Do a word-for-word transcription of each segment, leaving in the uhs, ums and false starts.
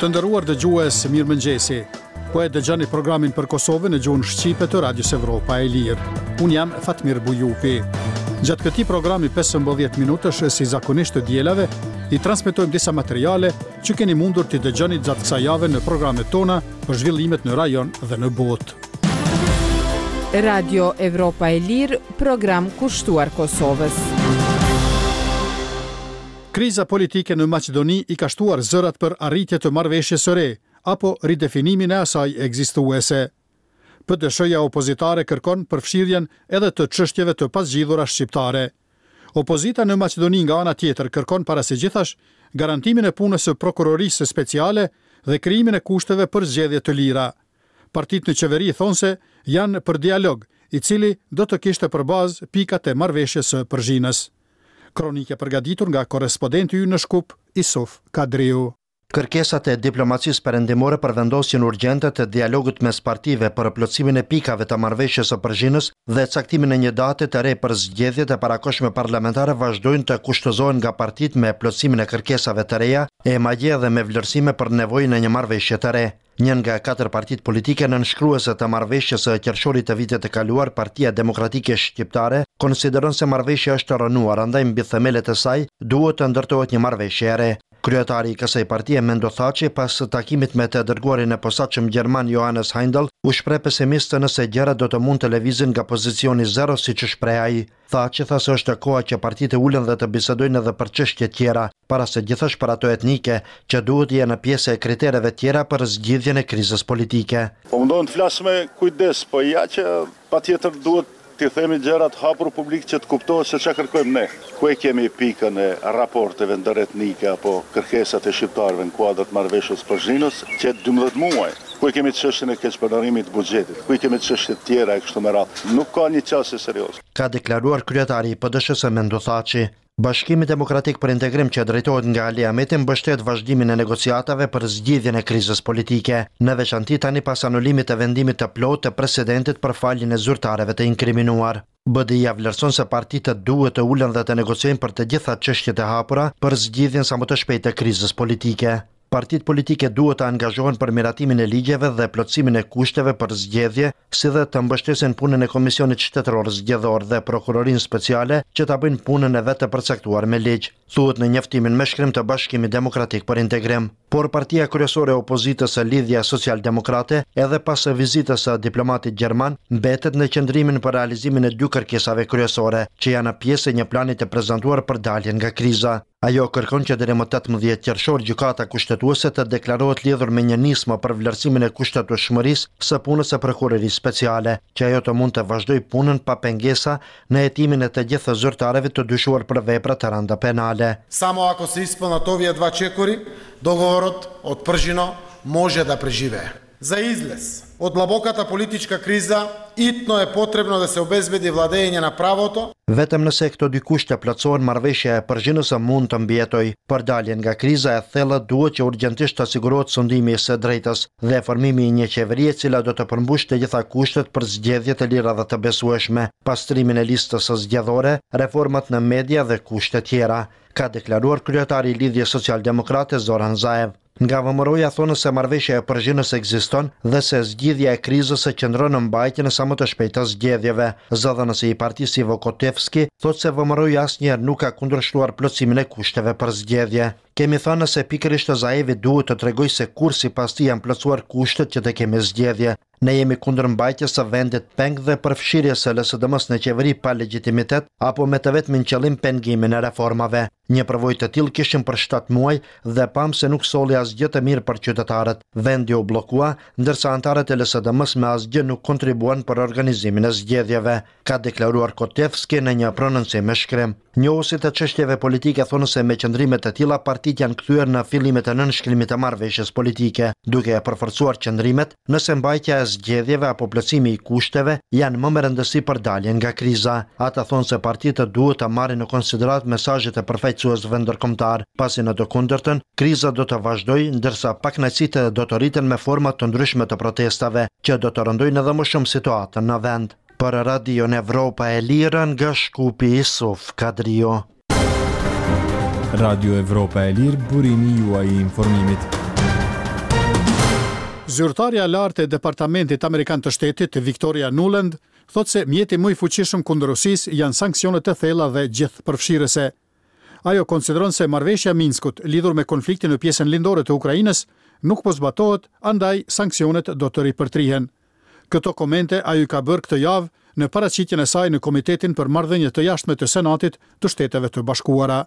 Të nderuar dëgjues, mirëmëngjesi. Po e dëgjoni programin për Kosovën në gjuhën shqipe të Radios Evropa e Lirë. Unë jam Fatmir Bujupi. Gjatë këtij programi pesëmbëdhjetë minutësh, si zakonisht të dielave, i transmetojmë disa materiale që keni mundur t'i dëgjoni gjatë kësaj jave në programet tona për zhvillimet në rajon dhe në botë. Radio Evropa e Lirë, program kushtuar Kosovës. Kriza politike në Maqedoni i ka shtuar zërat për arritje të marrëveshjes së re, apo ridefinimin e asaj ekzistuese. P D S-ja opozitare kërkon përfshirjen edhe të çështjeve të pazgjidhura shqiptare. Opozita në Maqedoni nga ana tjetër kërkon para së gjithash garantimin e punës së prokurorisë speciale dhe krijimin e kushteve për zgjedhje të lira. Partitë në qeveri thonë se janë për dialog, i cili do të kishte për bazë pikat e marrëveshjes së Përzhinës. Kronike përgatitur nga korrespondenti ynë në Shkup, Isuf Kadriu. Kërkesat e diplomacisë perëndimore për vendosjen urgjente të dialogut mes partive për plotësimin e pikave të marrëveshjes së Përzhinës dhe caktimin e një date të re për zgjedhjet e parakohshme parlamentare vazhdojnë të kushtëzohen nga partitë me plotësimin e kërkesave të reja e madje edhe me vlerësime për nevojën e një marrëveshje të re. Një nga katër partitë politike nënshkruese të marrëveshjes së qershorit të vitit të kaluar, Partia Demokratike Shqiptare, konsideron se marrëveshja është rrënuar, andaj mbi themelet e saj duhet të ndërtohet një marrëveshje e re. Kryetari i kësaj partie, Mendu Thaçi, pas takimit me të dërguarin e posaçëm gjerman Johannes Heindel, u shpreh pesimist nëse gjërat do të mund të lëvizin nga pozicioni zero, siç u shpreh ai. Thaçi tha se është koha që partitë ulen dhe të bisedojnë edhe për çështje tjera, para se gjithash për ato etnike, që duhet të jenë pjesë e kritereve tjera për zgjidhjen e krizës politike. Po mundohem të flas me kujdes, po ja që patjetër duhet t'i themi gjërat hapur publik që të kuptohet se çka kërkojmë ne. Ku e kemi pikën e raporteve ndëretnike apo kërkesat e shqiptarëve në kuadër të marrëveshjes së Përzhinës që dymbëdhjetë muaj? Ku e kemi çështjen e keqpërdorimit të buxhetit? Ku i kemi çështjet tjera e kështu me radhë? Nuk ka një qasje serioze. Ka deklaruar kryetari i P D S-së Mendu Thaçi. Bashkimi Demokratik për Integrim që drejtohet nga Ali Ahmeti mbështet vazhdimin e negociatave për zgjidhjen e krizës politike, në veçanti tani pas anulimit të vendimit të plotë të presidentit për faljen e zyrtarëve të inkriminuar. B D I-ja vlerëson se partitë duhet të ulen dhe të negociojnë për të gjitha çështjet e hapura për zgjidhjen sa më të shpejtë të krizës politike. Partitë politike duhet të angazhohen për miratimin e ligjeve dhe plotësimin e kushteve për zgjedhje, si dhe të mbështesin punën e Komisionit Shtetëror Zgjedhor dhe Prokurorinë Speciale që ta bëjnë punën e vet të përcaktuar me ligj, thuhet në njoftimin me shkrim të Bashkimit Demokratik për Integrim. Por partia kryesore e opozitës së Lidhja Socialdemokrate, edhe pas vizitës së diplomatit gjerman, mbetet në qëndrimin për realizimin e dy kërkesave kryesore, që janë pjesë e një plani të prezantuar për daljen nga kriza. Ajo kërkon që deri më tetëmbëdhjetë qershor gjykata kushtetuese të deklarohet lidhur me një nismë për vlerësimin e kushtetueshmërisë së punës së prokurorisë speciale, që ajo të mund të vazhdojë punën pa pengesa në hetimin e të gjithë zyrtarëve të dyshuar për vepra të rënda penale. Само ако се исполнат овие два чекори, договорот од Пржино може да преживее. За излез од длабоката политичка криза, итно е потребно да се обезбеди владење на правото. Vetëm nëse këto dy kushte plotësohen, marrëveshja e Përzhinës mund të mbijetojë. Për daljen nga kriza e thellë duhet që urgjentisht të sigurohet sundimi i së drejtës dhe formimi i një qeverie e cila do të përmbushë të gjitha kushtet për zgjedhje të lira dhe të besueshme, pastrimin e listës së zgjedhore, reformat në media dhe kushte tjera, ka deklaruar kryetari i Lidhjes Socialdemokrate Zoran Zaev. Nga V M R-ja thonë se marrëveshja e Përzhinës ekziston dhe se zgjidhja e krizës e qëndron në mbajtjen e sa më të shpejtë të zgjedhjeve. Zëdhënësi i partisë Ivo Kotevski thotë se V M R-ja asnjëherë nuk ka kundërshtuar plotësimin e kushteve për zgjedhje. Kemi thënë se pikërisht Zaevi duhet të tregojë se kur sipas tij janë plotësuar kushtet që të kemi zgjedhje. Ne jemi kundër mbajtjes së vendit peng dhe përfshirjes së L S D M-s në qeveri pa legjitimitet apo me të vetmin qëllim pengimin e reformave. Një përvojë të tillë kishim për shtatë muaj dhe pam se nuk solli asgjë të mirë për qytetarët. Vendi u bllokua, ndërsa antarët e L S D M-s me asgjë nuk kontribuan për organizimin e zgjedhjeve, ka deklaruar Kotevski në një prononcim me shkrim. Njohësit e çështjeve politike thonë se me qëndrime të tilla partitë janë kthyer në fillimet e nënshkrimit të marrëveshjes politike, duke e përforcuar qëndrimet nëse mbajtja e zgjedhjeve apo plotësimi i kushteve janë më me rëndësi për daljen nga kriza. Ata thonë se partitë duhet të marrin në konsideratë mesazhet e përfaqësuesve ndërkombëtar, pasi në të kundërtën kriza do të vazhdojë, ndërsa pakënaqësitë do të rriten me forma të ndryshme të protestave, që do të rëndojnë edhe më shumë situatën në vend. Për Radion Evropa e Lirë nga Shkupi, Isuf Kadriu. Radio Evropa e Lirë, burimi juaj i informimit. Zyrtarja e lartë e Departamentit Amerikan të Shtetit, Victoria Nuland, thotë se mjeti më i fuqishëm kundër Rusisë janë sanksionet e thella dhe gjithëpërfshirëse. Ajo konsideron se marrëveshja e Minskut lidhur me konfliktin në pjesën lindore të Ukrainës nuk po zbatohet, andaj sanksionet do të ripërtrihen. Këto komente ajo i ka bërë këtë javë në paraqitjen e saj në Komitetin për Marrëdhënie të Jashtme të Senatit të Shteteve të Bashkuara.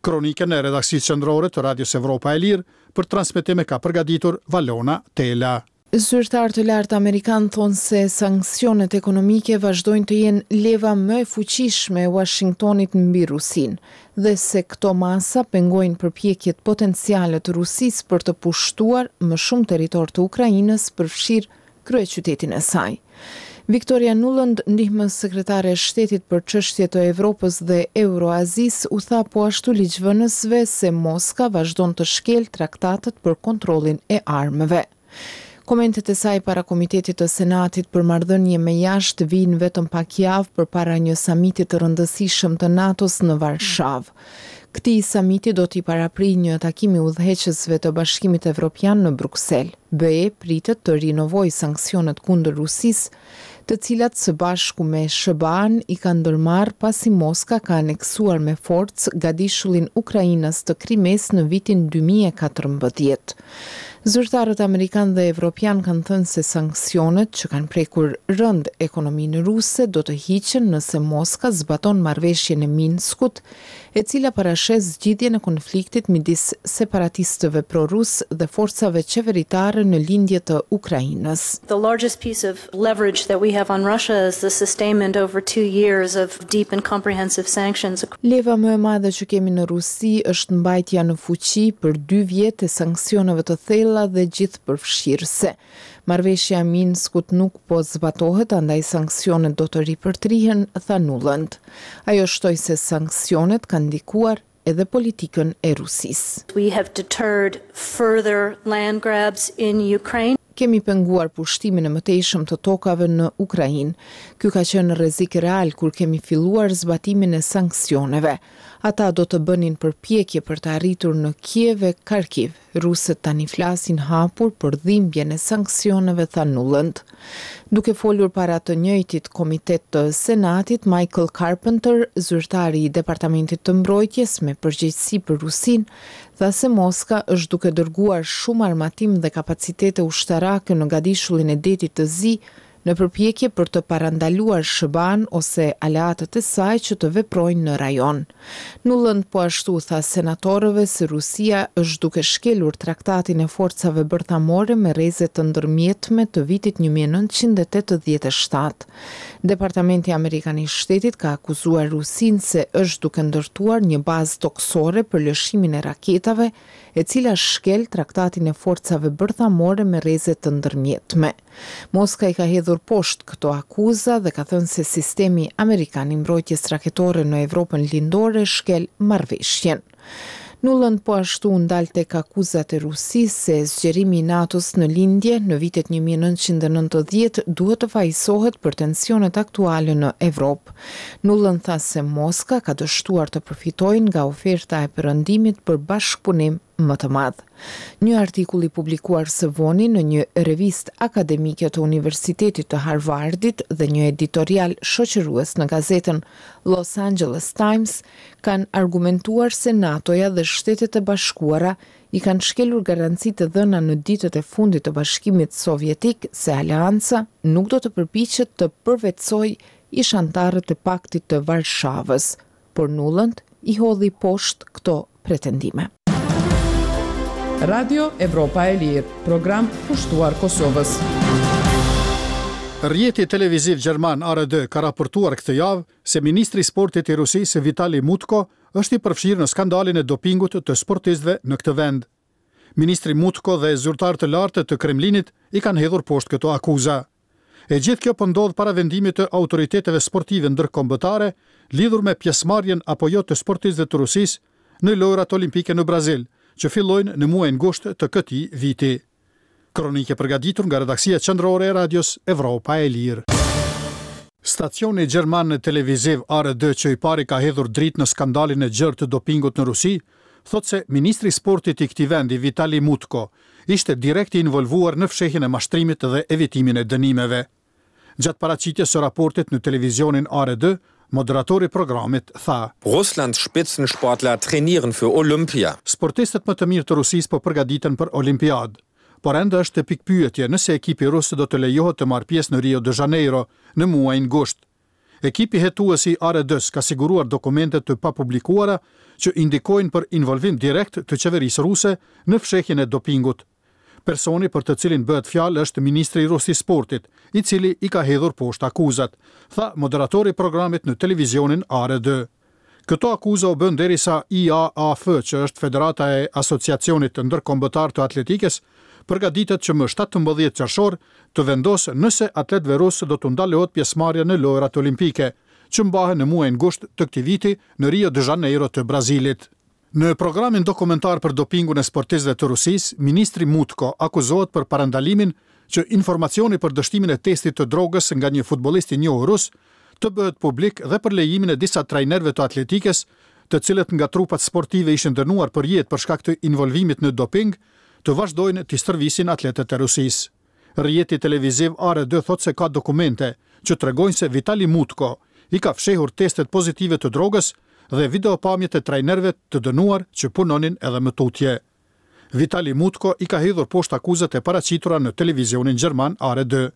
Kronikën e redaksisë qendrore të Radios Evropa e Lirë për transmetim e ka përgatitur Valona Tela. Zyrtarë të lartë amerikan thonë se sanksionet ekonomike vazhdojnë të jenë leva më e fuqishme e Washingtonit mbi Rusinë dhe se këto masa pengojnë përpjekjet potenciale të Rusisë për të pushtuar më shumë territor të Ukrainës, përfshirë kryeqytetin e saj. Victoria Nuland, ndihmës sekretare e shtetit për çështje të Evropës dhe Euroazisë, u tha po ashtu ligjvënësve se Moska vazhdon të shkel traktatet për kontrollin e armëve. Komentet e saj para Komitetit të Senatit për marrëdhënie me jashtë vijnë vetëm pak javë përpara një samiti të rëndësishëm të NATO-s në Varshavë. Këtij samiti do t'i paraprijë një takim i udhëheqësve të Bashkimit Evropian në Bruksel. B E pritet të rinovojë sanksionet kundër Rusisë, të cilat së bashku me S H B A-n i kanë ndërmarrë pasi Moska ka aneksuar me forcë gadishullin Ukrainas të Krimes në vitin dy mijë e katërmbëdhjetë. Zyrtarët amerikan dhe evropian kanë thënë se sanksionet që kanë prekur rënd ekonominë ruse do të hiqen nëse Moska zbaton marrëveshjen e Minskut, e cila parasheh zgjidhjen e konfliktit midis separatistëve pro-rus dhe forcave qeveritare në lindje të Ukrainës. The largest piece of leverage that we have on Russia is the sustainment over two years of deep and comprehensive sanctions. Leva më e madhe që kemi në Rusi është mbajtja në fuqi për dy vjet e sanksioneve të thella dhe gjithëpërfshirëse. Marrëveshja e Minskut nuk po zbatohet, andaj sanksionet do të ripërtrihen, tha Nuland. Ajo shtoi se sanksionet kanë ndikuar edhe politikën e Rusisë. We have deterred further land grabs in Ukraine. Kemi penguar pushtimin e mëtejshëm të tokave në Ukrainë. Ky ka qenë rrezik real kur kemi filluar zbatimin e sanksioneve. Ata do të bënin përpjekje për të arritur në Kiev e Kharkiv. Rusët tani flasin hapur për dhimbjen e sanksioneve, tha Nuland. Duke folur para të njëjtit komitet të Senatit, Michael Carpenter, zyrtari i Departamentit të Mbrojtjes me përgjegjësi për Rusinë, tha se Moska është duke dërguar shumë armatim dhe kapacitete ushtarake në gadishullin e Detit të Zi në përpjekje për të parandaluar S H B A-n ose aleatët e saj që të veprojnë në rajon. Nuland po ashtu tha senatorëve se Rusia është duke shkelur traktatin e forcave bërthamore me rreze të ndërmjetme të vitit një mijë e nëntëqind e tetëdhjetë e shtatë. Departamenti Amerikan i Shtetit ka akuzuar Rusinë se është duke ndërtuar një bazë toksore për lëshimin e raketave, e cila shkel traktatin e forcave bërthamore me rreze të ndërmjetme. Moska i ka hedhur poshtë këto akuza dhe ka thënë se sistemi amerikan i mbrojtjes raketore në Evropën Lindore shkel marrëveshjen. Nuland po ashtu u ndal tek akuzat e Rusisë se zgjerimi i NATO-s në lindje në vitet një mijë e nëntëqind e nëntëdhjetë duhet të fajësohet për tensionet aktuale në Evropë. Nuland tha se Moska ka dështuar të përfitojë nga oferta e Perëndimit për bashkëpunim më të madh. Një artikull i publikuar së voni në një revistë akademike të Universitetit të Harvardit dhe një editorial shoqërues në gazetën Los Angeles Times kanë argumentuar se NATO-ja dhe Shtetet e Bashkuara i kanë shkelur garancitë e dhëna në ditët e fundit të Bashkimit Sovjetik se aleanca nuk do të përpiqet të përvetësojë ish anëtarët e paktit të Varshavës, por Nuland i hodhi poshtë këto pretendime. Radio Evropa e Lirë, program kushtuar Kosovës. Rrjeti televiziv gjerman A R D ka raportuar këtë javë se ministri i sportit i Rusisë Vitali Mutko është i përfshirë në skandalin e dopingut të sportistëve në këtë vend. Ministri Mutko dhe zyrtarë të lartë të Kremlinit i kanë hedhur poshtë këto akuza. E gjithë kjo po ndodh para vendimit të autoriteteve sportive ndërkombëtare lidhur me pjesëmarrjen apo jo të sportistëve të Rusisë në Lojërat Olimpike në Brazil, që fillojnë në muajin gusht të këtij viti. Kronike përgatitur nga redaksia qendrore e Radios Evropa e Lirë. Stacioni gjerman televiziv A R D, që i pari ka hedhur dritë në skandalin e gjerë të dopingut në Rusi, thotë se ministri i sportit i këtij vendi, Vitali Mutko, ishte direkt i involvuar në fshehjen e mashtrimit dhe evitimin e dënimeve. Gjatë paraqitjes së raportit në televizionin A R D, moderatori i programit tha: Russlands Spitzensportler trainieren für Olympia. Sportistët më të mirë të Rusisë po përgatiten për Olimpiadë. Por ende është pikëpyetje nëse ekipi rus do të lejohet të marrë pjesë në Rio de Janeiro në muajin gusht. Ekipi hetues i A R D-s ka siguruar dokumente të papublikuara që indikojnë për involvim direkt të qeverisë ruse në fshehjen e dopingut. Personi për të cilin bëhet fjalë është ministri rus i sportit, i cili i ka hedhur poshtë akuzat, tha moderatori i programit në televizionin A R D. Këto akuza u bën derisa I A A F, që është Federata e Asociacionit Ndërkombëtar të Atletikës, përgatitet që më shtatëmbëdhjetë qershor të vendosë nëse atletëve rusë do të ndalohet pjesëmarrja në Lojërat Olimpike, që mbahen në muajin gusht të këtij viti në Rio de Janeiro të Brazilit. Në programin dokumentar për dopingun e sportistëve të Rusisë, ministri Mutko akuzohet për parandalimin që informacioni për dështimin e testit të drogës nga një futbollist i njohur rus të bëhet publik dhe për lejimin e disa trajnerëve të atletikës, të cilët nga trupat sportive ishin dënuar për jetë për shkak të involvimit në doping, të vazhdojnë të stërvisin atletët e Rusisë. Rrjeti televiziv A R D thotë se ka dokumente që tregojnë se Vitali Mutko i ka fshehur testet pozitive të drogës dhe videopamjet e trajnerëve të dënuar që punonin edhe më tutje. Vitali Mutko i ka hedhur poshtë akuzat e paraqitura në televizionin gjerman A R D.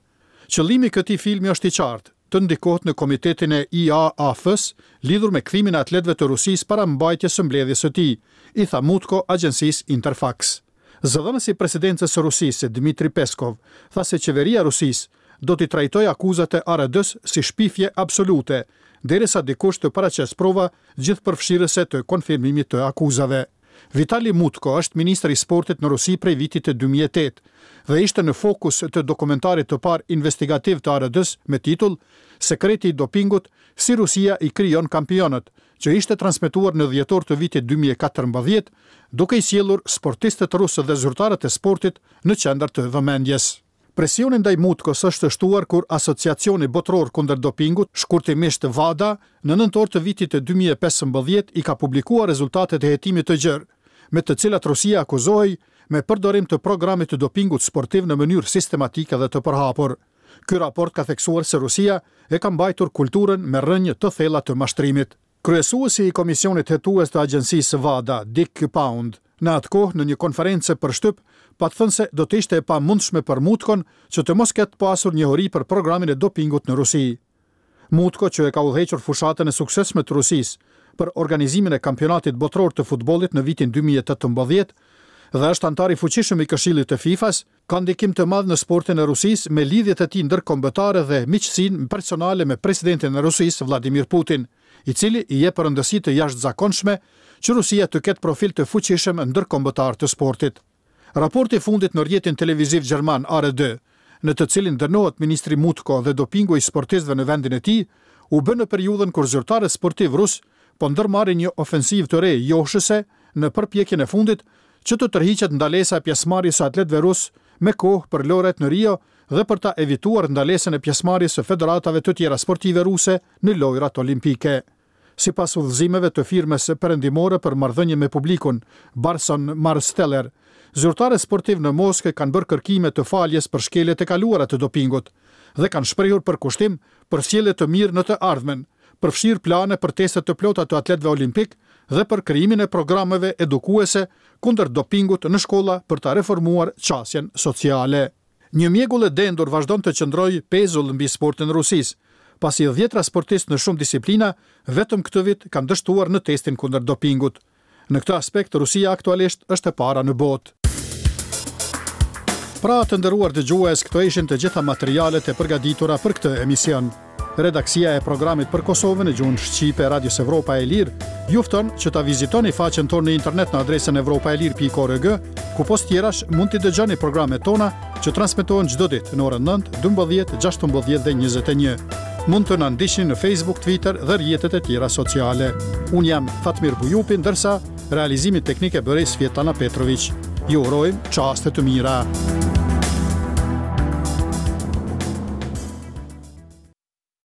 Qëllimi i këtij filmi është i qartë, të ndikohet në komitetin e I A A F-s lidhur me kthimin e atletëve të Rusisë para mbajtjes së mbledhjes së tij, i tha Mutko agjencisë Interfax. Zëdhënësi i presidencës së Rusisë, Dmitri Peskov, tha se qeveria e Rusisë do t'i trajtojë akuzat e A R D-s si shpifje absolute, derisa dikush të paraqesë prova gjithëpërfshirëse të konfirmimit të akuzave. Vitali Mutko është ministër i sportit në Rusi prej vitit të dy mijë e tetë dhe ishte në fokus të dokumentarit të parë investigativ të A R D-s me titull Sekreti i dopingut, si Rusia i krijon kampionët, që ishte transmetuar në dhjetor të vitit dy mijë e katërmbëdhjetë, duke i sjellur sportistët rusë dhe zyrtarët e sportit në qendër të vëmendjes. Presioni ndaj Mutkos është shtuar kur Asociacioni Botëror kundër Dopingut, shkurtimisht WADA, në nëntor të vitit të dy mijë e pesëmbëdhjetë i ka publikuar rezultatet e hetimit të gjerë, me të cilat Rusia akuzohej me përdorim të programit të dopingut sportiv në mënyrë sistematike dhe të përhapur. Ky raport ka theksuar se Rusia e ka mbajtur kulturën me rrënjë të thella të mashtrimit. Kryesuesi i Komisionit Hetues të Agjencisë WADA, Dick Pound, në atë kohë në një konferencë për shtyp, pat thënë se do të ishte e pamundshme për Mutkon që të mos ketë pasur njohuri për programin e dopingut në Rusi. Mutko, që e ka udhëhequr fushatën e suksesshme të Rusisë për organizimin e kampionatit botëror të futbollit në vitin dy mijë e tetëmbëdhjetë dhe është antar i fuqishëm i Këshillit të FIFA-s, ka ndikim të madh në sportin e Rusisë me lidhjet e tij ndërkombëtare dhe miqësinë personale me presidentin e Rusisë, Vladimir Putin, i cili i jep rëndësi të jashtëzakonshme që Rusia të ketë profil të fuqishëm ndërkombëtar të sportit. Raporti i fundit në rrjetin televiziv gjerman A R D, në të cilin dënohet ministri Mutko dhe dopingu i sportistëve në vendin e tij, u bë në periudhën kur zyrtarët sportiv rus po ndërmarrin një ofensivë të re joshëse në përpjekjen e fundit që të tërhiqet ndalesa e pjesëmarrjes së atletëve rus me kohë për lojërat në Rio dhe për ta evituar ndalesën e pjesëmarrjes së federatave të tjera sportive ruse në lojërat olimpike. Sipas udhëzimeve të firmës perëndimore për marrëdhënie me publikun, Burson Marsteller, zyrtarët sportiv në Moskë kanë bërë kërkime të faljes për shkeljet e kaluara të dopingut dhe kanë shprehur përkushtim për sjellje të mirë në të ardhmen, përfshirë plane për teste të plota të atletëve olimpik dhe për krijimin e programeve edukuese kundër dopingut në shkolla për ta reformuar qasjen sociale. Një mjegull e dendur vazhdon të qëndrojë pezull mbi sportin e Rusisë, pasi dhjetra sportistë në shumë disiplina vetëm këtë vit kanë dështuar në testin kundër dopingut. Në këtë aspekt, Rusia aktualisht është e para në botë. Pra, të nderuar dëgjues, këto ishin të gjitha materialet e përgatitura për këtë emision. Redaksia e programit për Kosovën në gjuhën shqipe Radios Evropa e Lirë ju fton që ta vizitoni faqen tonë në internet në adresën evropaelir pikë org, ku pos tjerash mund t'i dëgjoni programet tona që transmetohen çdo ditë në orën nëntë, dymbëdhjetë, gjashtëmbëdhjetë dhe njëzet e një. Mund të na ndiqni në Facebook, Twitter dhe rrjetet e tjera sociale. Unë jam Fatmir Bujupi, ndërsa realizimin teknik e bëri Svjetlana Petrovic. Ju urojmë çaste të mira.